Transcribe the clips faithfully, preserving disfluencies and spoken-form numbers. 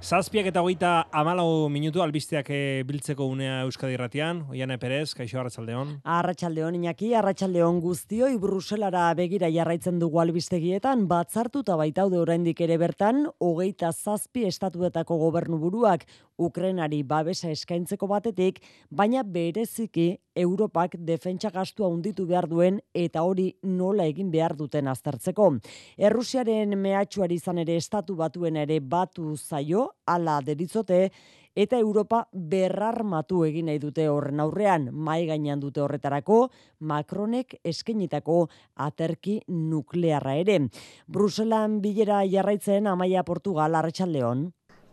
Zazpiak eta hogeita hamalau minutu albisteak e, biltzeko unea Euskadi Irratian. Oiane Perez, kaixo, arratsaldeon. Arratsaldeon Iñaki, arratsaldeon guztioi. Bruselara begira jarraitzen dugu albistegietan, batzartuta baitaude oraindik ere bertan, hogeita zazpi estatuetako gobernuburuak Ukrainari babesa eskaintzeko batetik, baina bereziki Europak defentsa gastua handitu behar duen eta hori nola egin behar duten aztertzeko. Errusiaren mehatxuari izan ere estatu batuen ere batu zaio, ala deritzote, eta Europa berrarmatu egin nahi dute horren aurrean, mai gainean dute horretarako, Macronek eskainitako aterki nuklearra ere. Bruselan bilera jarraitzen Amaia Portugal, arratsaldeon.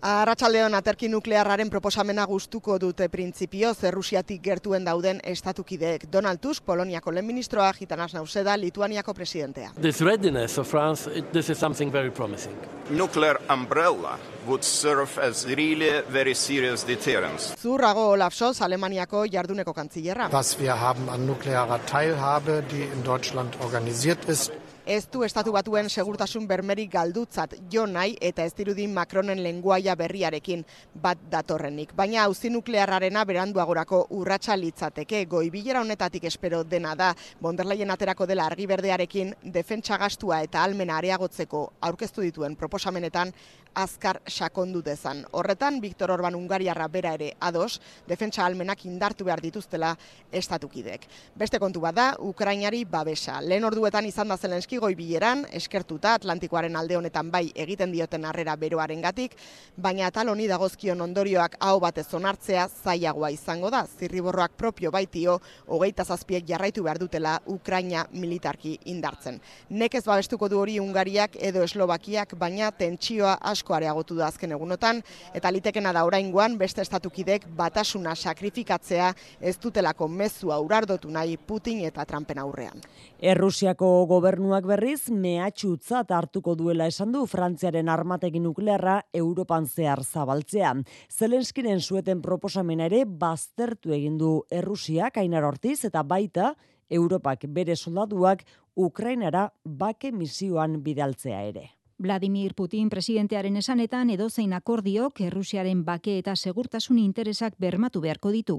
Arratsaldeon, aterki nuklearraren proposamena gustuko dute printzipioz Errusiatik gertuen dauden estatukideek. Donald Tusk, Poloniako lehen ministroa, Gitanas Nauseda, Lituaniako presidentea. This readiness of France, it, this is something very promising. Nuclear umbrella would serve as really very serious deterrence. Zurrago Olaf Scholz, Alemaniako jarduneko kantzillerra. Was wir haben an nuklearer Teilhabe, die in Deutschland organisiert ist. Ez du estatu batuen segurtasun bermerik galdutzat jo nahi eta ez dirudi Macronen lenguaia berriarekin bat datorrenik. Baina auzi nuklearrarena beranduagorako urratsa litzateke. Goi-bilera honetatik espero dena da von der Leyen aterako dela argi berdearekin defentsa gastua eta ahalmena areagotzeko aurkeztu dituen proposamenetan azkar sakondu dezan. Horretan, Viktor Orban Hungariarra bera ere ados, defentsa ahalmenak indartu behar dituztela estatukidek. Beste kontu bada, Ukrainari babesa. Lehen orduetan izan da Zelenski goi-bileran, eskertuta Atlantikoaren alde honetan bai egiten dioten harrera beroarengatik, baina atal honi dagozkion ondorioak aho batez onartzea zailagoa izango da. Zirriborroak propio baitio, hogeita zazpiek jarraitu behar dutela Ukraina militarki indartzen. Nekez babestuko du hori Hungariak edo Eslovakiak, baina tentsioa asko areagotu da azken egunotan, eta litekena da oraingoan beste estatukidek batasuna sakrifikatzea ez dutelako mezua urardotu nahi Putin eta Trumpen aurrean. Errusiako gobernuak berriz mehatxutzat hartuko duela esan du Frantziaren armategi nuklearra Europan zehar zabaltzea. Zelenskiren sueten proposamena ere baztertu egin du Errusiak, Ainar Ortiz, eta baita Europak bere soldaduak Ukrainara bake misioan bidaltzea ere. Vladimir Putin presidentearen esanetan edozein akordiok Errusiaren bake eta segurtasun interesak bermatu beharko ditu.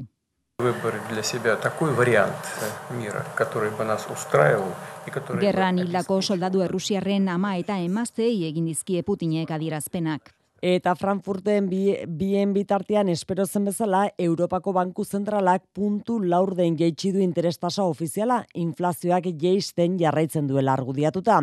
Gerran hildako soldadu errusiarren ama eta emazteei egin dizkie Putinek adierazpenak. Eta Frankfurten bien bitartean espero zen bezala, Europako Banku Zentralak puntu laurden jaitsi du interestasa ofiziala, inflazioak jaisten jarraitzen duela argudiatuta.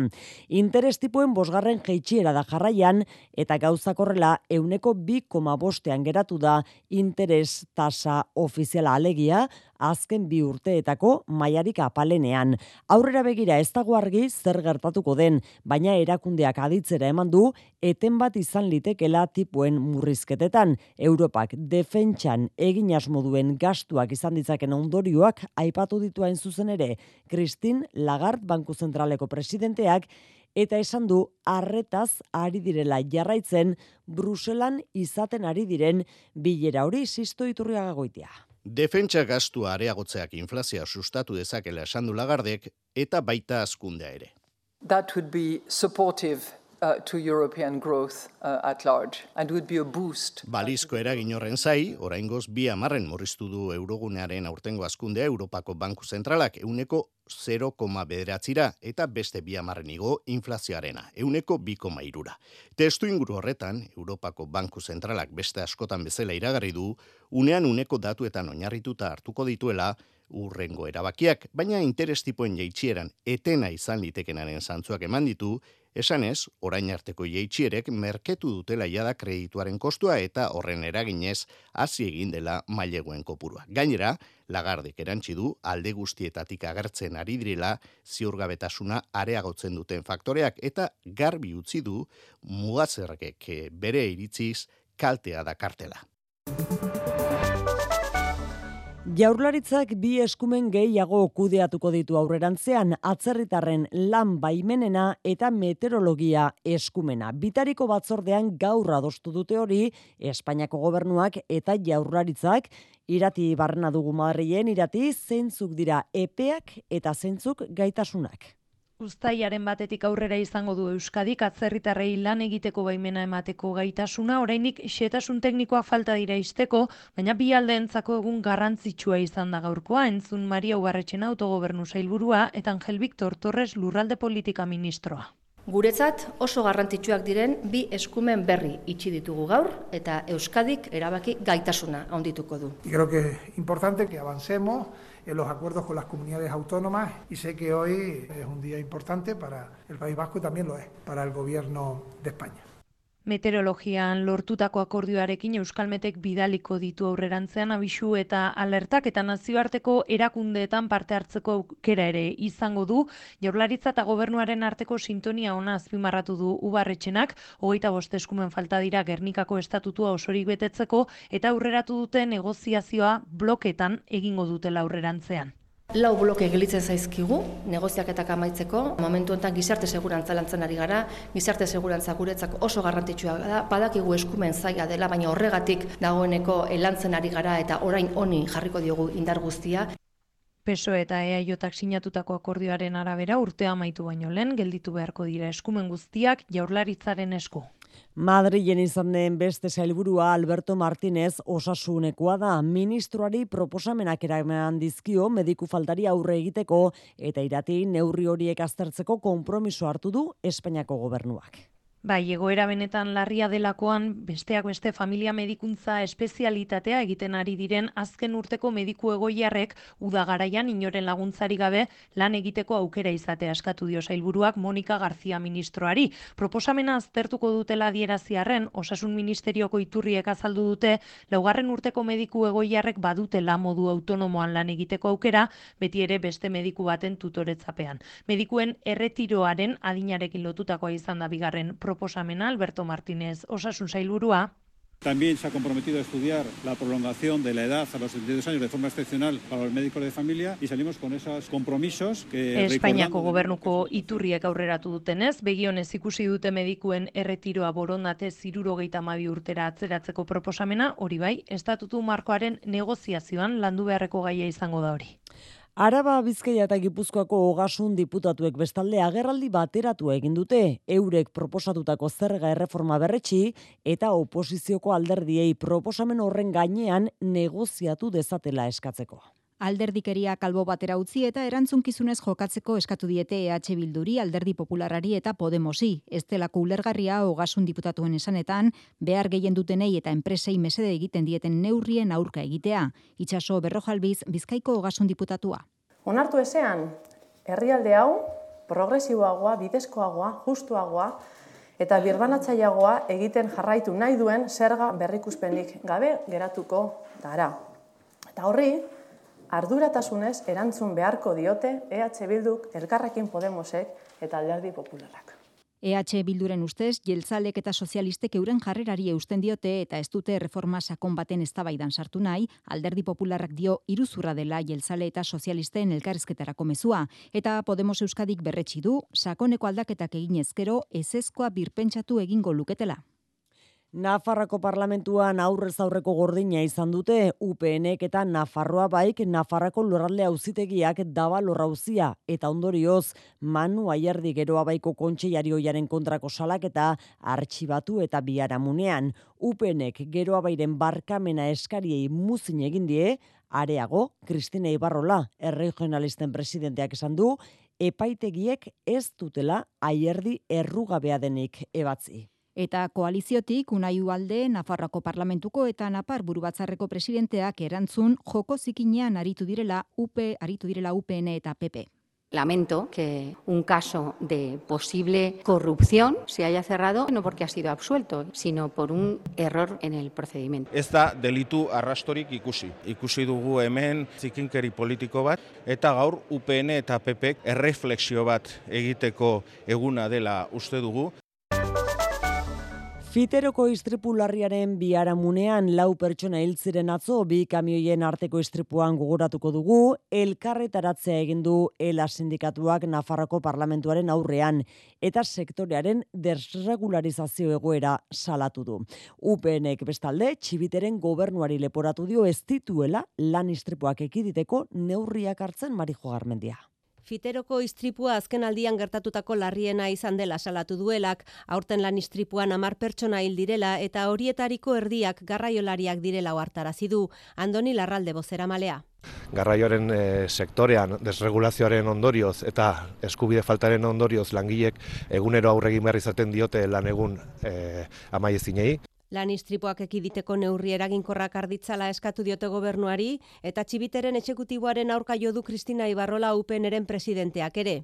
Interes tipuen bosgarren jaitsiera da jarraian, eta gauzak horrela euneko bi koma bostean geratu da interes tasa ofiziala alegia, azken bi urteetako mailarik apalenean. Aurrera begira ez dago argi zer gertatuko den, baina erakundeak aditzera eman du, eten bat izan litekela tipuen murrizketetan. Europak defentsan egin asmo duen gastuak izan ditzaken ondorioak aipatu ditu hain zuzen ere Christine Lagarde Banku Zentraleko presidenteak, eta esan du arretaz ari direla jarraitzen Bruselan izaten ari diren bilera hori. Sisto Iturriaga Goitia. Defentsa gastua areagotzeak inflazioa sustatu dezakela esan du Lagardek eta baita hazkundea ere. That would be supportive uh, to European growth uh, at large and would be a boost. Balizko eragin horren zai, oraingoz bi hamarren murriztu du eurogunearen aurtengo hazkundea Europako Banku Zentralak euneko zero koma bederatzira eta beste bi hamarren igo inflazioarena, euneko bi koma hirura. Testu inguru horretan, Europako Banku Zentralak beste askotan bezala iragarri du, unean uneko datuetan oinarrituta hartuko dituela urrengo erabakiak, baina interes tipoen jaitsieran etena izan litekenaren zantzuak eman ditu, esanez, orain arteko jaitsierek merketu dutela jada kredituaren kostua eta horren eraginez hasi egin dela maileguen kopurua. Gainera, Lagardek erantsi du alde guztietatik agertzen ari direla ziurgabetasuna areagotzen duten faktoreak eta garbi utzi du mugazerrek bere iritziz kaltea dakartela. Jaurlaritzak bi eskumen gehiago kudeatuko ditu aurrerantzean, atzerritarren lan baimenena eta meteorologia eskumena. Bitariko batzordean gaur adostu dute hori, Espainiako gobernuak eta Jaurlaritzak. Irati barrena dugu Madrilen, Irati, zeintzuk dira epeak eta zeintzuk gaitasunak? Uztailaren batetik aurrera izango du Euskadik atzerritarrei lan egiteko baimena emateko gaitasuna, orainik xehetasun teknikoak falta dira izteko, baina bi aldeentzako egun garrantzitsua izan da gaurkoa, entzun Maria Ubarretxena autogobernu sailburua eta Angel Victor Torres lurralde politika ministroa. Guretzat oso garrantzitsuak diren bi eskumen berri itxi ditugu gaur eta Euskadik erabaki gaitasuna handituko du. Y creo que es importante que avancemos en los acuerdos con las comunidades autónomas y sé que hoy es un día importante para el País Vasco y también lo es para el Gobierno de España. Meteorologian lortutako akordioarekin Euskalmetek bidaliko ditu aurrerantzean abisu eta alertak eta nazioarteko erakundeetan parte hartzeko aukera ere izango du. Jaurlaritza eta gobernuaren arteko sintonia ona azpimarratu du Ubarretxenak, hogeita bost eskumen falta dira Gernikako estatutua osorik betetzeko eta aurreratu dute negoziazioa bloketan egingo dutela aurrerantzean. Lau bloke gelitzen zaizkigu, negoziaketak amaitzeko. Momentu honetan gizarte segurantza lantzen ari gara, gizarte segurantza guretzako oso garrantzitsua da, badakigu eskumen zaila dela, baina horregatik dagoeneko lantzen ari gara eta orain honi jarriko diogu indar guztia. P S O E eta E A J-ak sinatutako akordioaren arabera urtea amaitu baino lehen gelditu beharko dira eskumen guztiak Jaurlaritzaren esku. Madrilen izan den beste sailburua Alberto Martínez osasunekoa da. Ministroari proposamenak eraman dizkio mediku faltari aurre egiteko eta irati neurri horiek aztertzeko konpromiso hartu du Espainiako gobernuak. Bai, egoera benetan larria delakoan, besteak beste familia medikuntza espezialitatea egiten ari diren azken urteko mediku egoiarrek uda garaian inoren laguntzari gabe lan egiteko aukera izatea eskatu dio sailburuak Monika García ministroari. Proposamena aztertuko dutela adieraziarren, Osasun Ministerioko iturriek azaldu dute, laugarren urteko mediku egoiarrek badutela modu autonomoan lan egiteko aukera, beti ere beste mediku baten tutoretzapean. Medikuen erretiroaren adinarekin lotutakoa izan da bigarren proposamena. Proposamena Alberto Martínez, Osasun sailburua. También se ha comprometido a estudiar la prolongación de la edad a los setenta y dos años de forma excepcional para los médicos de familia y salimos con esos compromisos que Espainiako gobernuko iturriek aurreratu dutenez, begionez ikusi dute medikuen erretiroa borondate hirurogeita hamabi urtera atzeratzeko proposamena, hori bai, estatutu markoaren negoziazioan landu beharreko gaia izango da hori. Araba, Bizkaia eta Gipuzkoako Ogasun diputatuek bestalde agerraldi bateratu egin dute, eurek proposatutako zerga erreforma berretsi eta oposizioko alderdiei proposamen horren gainean negoziatu dezatela eskatzeko. Alderdikeria kalbo batera utzi eta erantzunkizunez jokatzeko eskatu diete E H Bilduri, Alderdi Popularari eta Podemosi. Ez delako ulergarria Ogasun diputatuen esanetan, behar gehien dutenei eta enpresei mesede egiten dieten neurrien aurka egitea. Itxaso Berrojalbiz, Bizkaiko Ogasun diputatua. Onartu ezean, herrialde hau progresiboagoa, bidezkoagoa, justuagoa eta birbanatzaileagoa egiten jarraitu nahi duen zerga berrikuspenik gabe geratuko dara. Eta horri, arduratasunez erantzun beharko diote E H Bilduk, Elkarrekin Podemosek eta Alderdi Popularrak. E H Bilduren ustez, jeltzalek eta sozialistek euren jarrerari eusten diote eta ez dute reforma sakon baten eztabaidan sartu nahi, Alderdi Popularrak dio iruzurra dela jeltzale eta sozialisten elkarrizketarako mezua, eta Podemos Euskadik berretsi du, sakoneko aldaketak egin ezkero, ezezkoa birpentsatu egingo luketela. Nafarrako parlamentuan aurrez aurreko gordina izan dute, U PNek eta Nafarroa Baik Nafarrako lurralde auzitegiak Davalor auzia eta ondorioz Manu Aiardi Geroa Baiko kontseilarioiaren kontrako salaketa artxibatu eta biharamunean. U P Nek Geroa Bairen barkamena eskariei muzin egin die, areago, Kristina Ibarrola, erregionalisten presidenteak esan du, epaitegiek ez dutela Aiardi errugabea denik ebatzi. Eta koaliziotik Unai Ugalde, Nafarroako parlamentuko eta Napar burubatzarreko presidenteak erantzun joko zikinean aritu direla U P, aritu direla U P N eta P P. Lamento que un caso de posible corrupción se haya cerrado no porque ha sido absuelto, sino por un error en el procedimiento. Ez da delitu arrastorik ikusi. Ikusi dugu hemen zikinkeri politiko bat eta gaur U P N eta P P erreflexio bat egiteko eguna dela uste dugu. Fiteroko istripu larriaren biharamunean lau pertsona hil ziren atzo, bi kamioien arteko istripuan gogoratuko dugu, elkarretaratzea egin du ELA sindikatuak Nafarroko parlamentuaren aurrean eta sektorearen desregularizazio egoera salatu du. U P Nek bestalde Txibiteren gobernuari leporatu dio ez dituela lan istripuak ekiditeko neurriak hartzen Marijo Garmendia. Fiteroko istripua azken aldian gertatutako larriena izan dela salatu duelak, aurten lan istripuan hamar pertsona hil direla eta horietariko erdiak garraiolariak direla ohartarazi du. Andoni Larralde bozeramalea. Garraioaren e, sektorean desregulazioaren ondorioz eta eskubide faltaren ondorioz langilek egunero aurre egin behar izaten diote lan egun e, amaiezinei. Lan istripuak ekiditeko neurri eraginkorrak arditzala eskatu diote gobernuari eta Txibiteren exekutiboaren aurka jo du Kristina Ibarrola U P Nren presidenteak ere.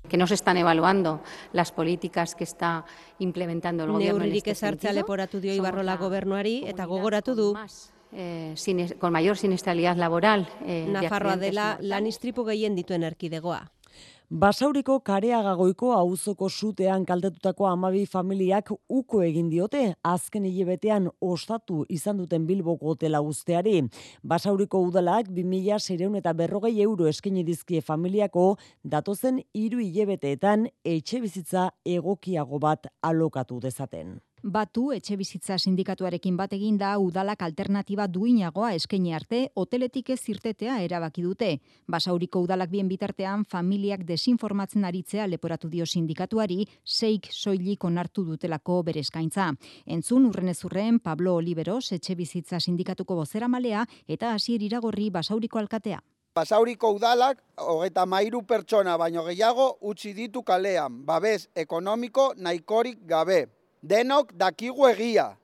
Que no se están evaluando las políticas que está implementando el gobierno en este sentido. Neurririk ezartzea leporatu dio Ibarrola gobernuari eta gogoratu du Eh, sin, con mayor siniestralidad laboral. Eh, Nafarroa dela lan istripu gehien dituen erkidegoa. Basauriko Kareagagoiko auzoko sutean kaltetutako hamabi familiak uko egin diote azken hilebetean ostatu izan duten Bilboko hotela uzteari. Basauriko udalak bi mila seiehun eta berrogei euro eskaini dizkie familiako datozen hiru hilebeteetan etxebizitza egokiago bat alokatu dezaten. Batu etxebizitza sindikatuarekin bat egin da udalak alternatiba duinagoa eskaini arte hoteletik ez irtetea erabaki dute. Basauriko udalak bien bitartean familiak desinformatzen aritzea leporatu dio sindikatuari, seik soilik onartu dutelako bere eskaintza. Entzun urrenezurren Pablo Oliveros etxebizitza sindikatuko bozeramalea eta Asier Iragorri Basauriko alkatea. Basauriko udalak hogeita hamairu pertsona baino gehiago utzi ditu kalean, babes ekonomiko nahikorik gabe. Denok dakigu egia.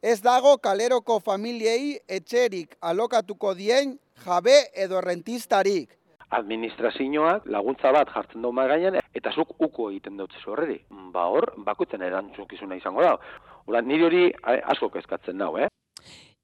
Ez dago kaleroko familiei etxerik alokatuko dien jabe edo rentistarik. Administrazioak laguntza bat jartzen du mahai gainean eta zuk uko egiten dut horreri. Ba hor, bakoitzen erantzukizuna izango da. Ora, niri hori asko kezkatzen nau, eh?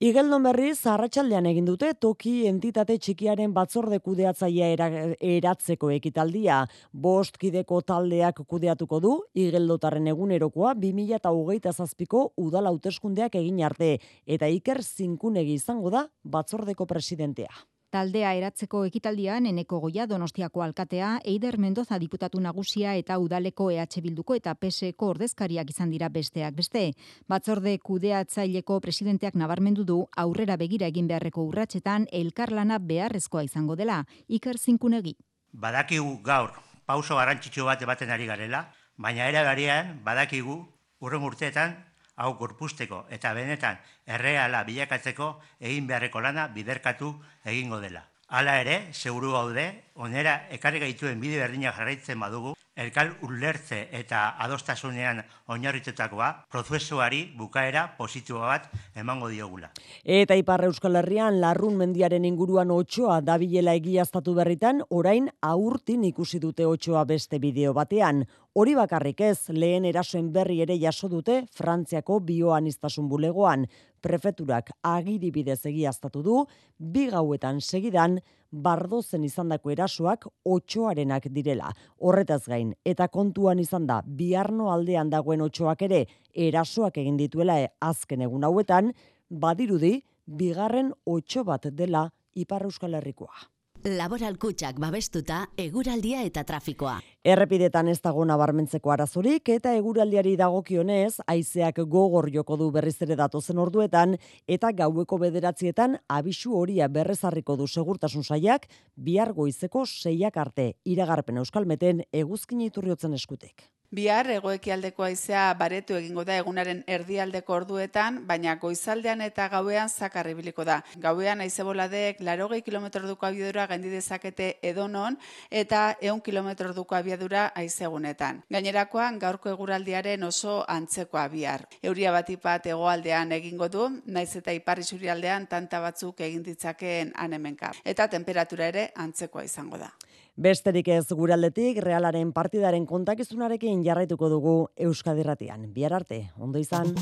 Igeldon berriz, arratsaldean egin dute toki entitate txikiaren batzorde kudeatzailea era, eratzeko ekitaldia. Bost kideko taldeak kudeatuko du, Igeldotarren egunerokoa bi mila hogeita zazpiko udal hauteskundeak egin arte, eta Iker Zinkunegi izango da batzordeko presidentea. Taldea eratzeko ekitaldian Eneko Goia Donostiako alkatea, Eider Mendoza diputatu nagusia eta udaleko E H Bilduko eta P S Eko ordezkariak izan dira besteak beste. Batzorde kudeatzaileko presidenteak nabarmendu du aurrera begira egin beharreko urratsetan elkarlana beharrezkoa izango dela. Iker Zinkunegi. Badakigu gaur pauso garrantzitsu bat ematen ari garela, baina era berean badakigu hurrengo urteetan hau gorpuzteko eta benetan erreala bilakatzeko egin beharreko lana biderkatu egingo dela. Hala ere, seguru gaude, onera ekarri gaituen bide berdina jarraitzen badugu, elkar ulertze eta adostasunean oinarritutakoa prozesuari bukaera positiboa bat emango diogula. Eta Ipar Euskal Herrian Larrun mendiaren inguruan otsoa dabilela egiaztatu berritan, orain aurtin ikusi dute otsoa beste bideo batean. Hori bakarrik ez, lehen erasoen berri ere jaso dute Frantziako bioaniztasun bulegoan. Prefeturak agiri bidez egiaztatu du, bi gauetan segidan, Bardozen izandako erasoak otsoarenak direla. Horretaz gain, eta kontuan izan da, Biarno aldean dagoen otsoak ere erasoak egin dituela azken egun hauetan, badirudi, bigarren otso bat dela Ipar Euskal Herrikoa. Laboral Kutxak babestuta eguraldia eta trafikoa. Errepidetan ez dago nabarmentzeko arazorik eta eguraldiari dagokionez, haizeak gogor joko du berriz ere datozen orduetan eta gaueko bederatzietan abisu horia berrezarriko du segurtasun sailak bihar goizeko seiak arte iragarpen Euskalmeten eguzkin iturriotzen eskutik. Bihar hegoekialdeko haizea baretu egingo da egunaren erdialdeko orduetan, baina goizaldean eta gauean zakar ibiliko da. Gauean haize boladek laurogei kilometro orduko abiadura gaindi dezakete edonon eta ehun kilometro orduko abiadura haizegunetan. Gainerakoan gaurko eguraldiaren oso antzekoa bihar. Euria batipat hegoaldean egingo du, naiz eta ipar isurialdean tanta batzuk egin ditzakeen hanemenka. Eta temperatura ere antzekoa izango da. Besterik ez guraldetik, Realaren partidaren kontakizunarekin jarraituko dugu Euskadi Irratian. Bihar arte, ondo izan.